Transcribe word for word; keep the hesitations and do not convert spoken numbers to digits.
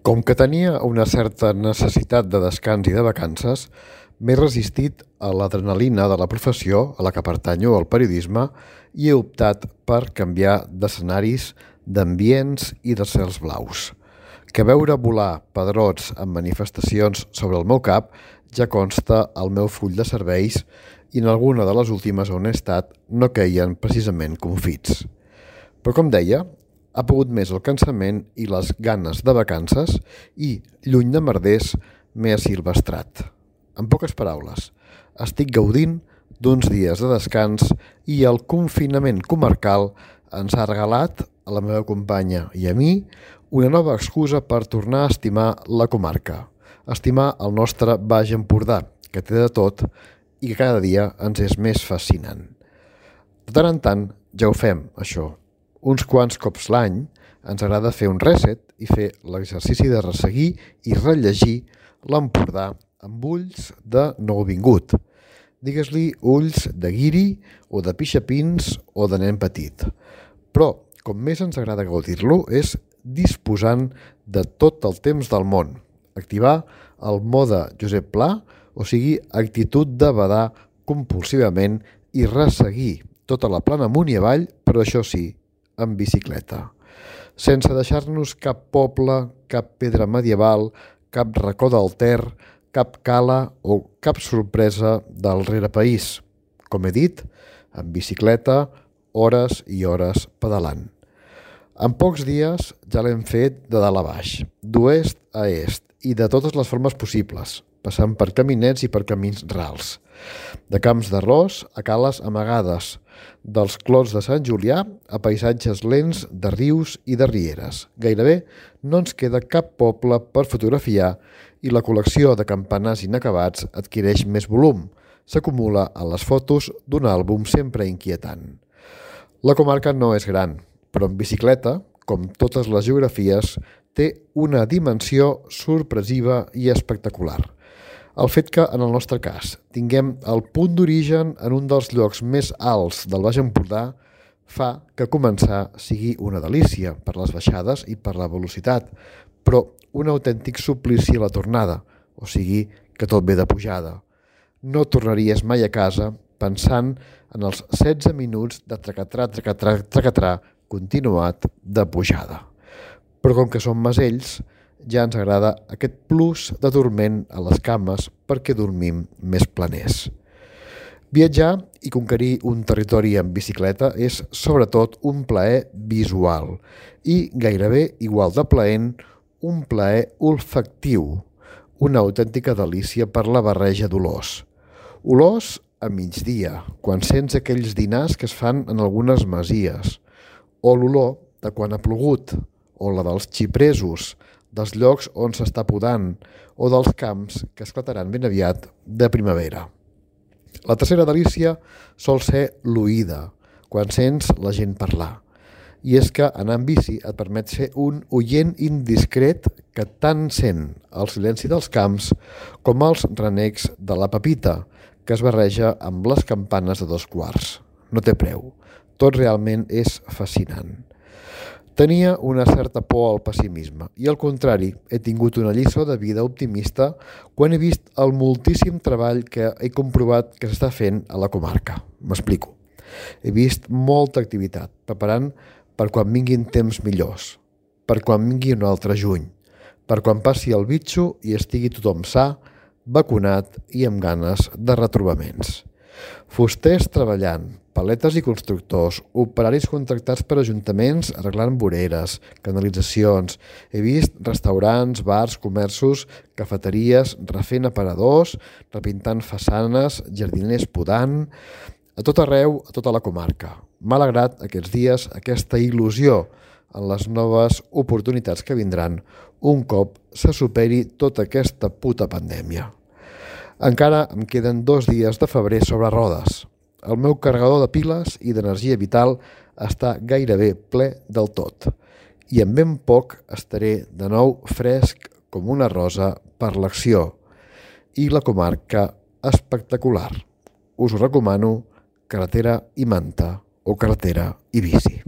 Com que tenia una certa necessitat de descans i de vacances, m'he resistit a l'adrenalina de la professió a la que pertanyo, al periodisme, i he optat per canviar d'escenaris, d'ambients i de cels blaus. Que veure volar pedrots en manifestacions sobre el meu cap ja consta al meu full de serveis i en alguna de les últimes on he estat no queien precisament confits. Però com deia, ha pogut més el cansament i les ganes de vacances i, lluny de merders, m'he asilvestrat. En poques paraules, estic gaudint d'uns dies de descans i el confinament comarcal ens ha regalat, a la meva companya i a mi, una nova excusa per tornar a estimar la comarca, estimar el nostre Baix Empordà, que té de tot i que cada dia ens és més fascinant. De tant en tant ja ho fem, això. Uns quants cops l'any ens agrada fer un reset i fer l'exercici de resseguir i rellegir l'Empordà amb ulls de nouvingut. Digues-li ulls de guiri o de pixapins o de nen petit. Però, com més ens agrada gaudir-lo, és disposant de tot el temps del món. Activar el mode Josep Pla, o sigui, actitud de badar compulsivament i resseguir tota la plana amunt i avall, però això sí, en bicicleta. Sense deixar-nos cap poble, cap pedra medieval, cap racó del Ter, cap cala o cap sorpresa del rerepaís. Com he dit, en bicicleta, hores i hores pedalant. En pocs dies ja l'hem fet de dalt a baix, d'oest a est i de totes les formes possibles, passant per caminets i per camins rals. De camps d'arròs a cales amagades, dels clots de Sant Julià a paisatges lents de rius i de rieres. Gairebé no ens queda cap poble per fotografiar i la col·lecció de campanars inacabats adquireix més volum. S'acumula a les fotos d'un àlbum sempre inquietant. La comarca no és gran, però en bicicleta, com totes les geografies, té una dimensió sorpresiva i espectacular. El fet que, en el nostre cas, tinguem el punt d'origen en un dels llocs més alts del Baix Empordà fa que començar sigui una delícia per les baixades i per la velocitat, però un autèntic suplici a la tornada, o sigui que tot ve de pujada. No tornaries mai a casa pensant en els setze minuts de tracatrà, tracatrà, tracatrà continuat de pujada. Però com que som masells, ja ens agrada aquest plus de dorment a les cames perquè dormim més planers. Viatjar i conquerir un territori en bicicleta és sobretot un plaer visual i gairebé igual de plaent un plaer olfactiu, una autèntica delícia per la barreja d'olors. Olors a migdia, quan sents aquells dinars que es fan en algunes masies, o l'olor de quan ha plogut, o la dels xipresos, dels llocs on s'està podant, o dels camps que esclataran ben aviat de primavera. La tercera delícia sol ser l'oïda, quan sents la gent parlar. I és que anar en bici et permet ser un oient indiscret que tant sent el silenci dels camps com els renecs de la pepita, que es barreja amb les campanes de dos quarts. No té preu. Tot realment és fascinant. Tenia una certa por al pessimisme i, al contrari, he tingut una lliçó de vida optimista quan he vist el moltíssim treball que he comprovat que s'està fent a la comarca. M'explico. He vist molta activitat, preparant per quan vinguin temps millors, per quan vingui un altre juny, per quan passi el bitxo i estigui tothom sa, vacunat i amb ganes de retrobaments. Fusters treballant, paletes i constructors, operaris contractats per ajuntaments arreglant voreres, canalitzacions. He vist restaurants, bars, comerços, cafeteries, refent aparadors, repintant façanes, jardiners podant, a tot arreu, a tota la comarca. M'ha alegrat aquests dies aquesta il·lusió en les noves oportunitats que vindran un cop se superi tota aquesta puta pandèmia. Encara em queden dos dies de febrer sobre rodes. El meu carregador de piles i d'energia vital està gairebé ple del tot i en ben poc estaré de nou fresc com una rosa per l'acció i la comarca espectacular. Us ho recomano, carretera i manta o carretera i bici.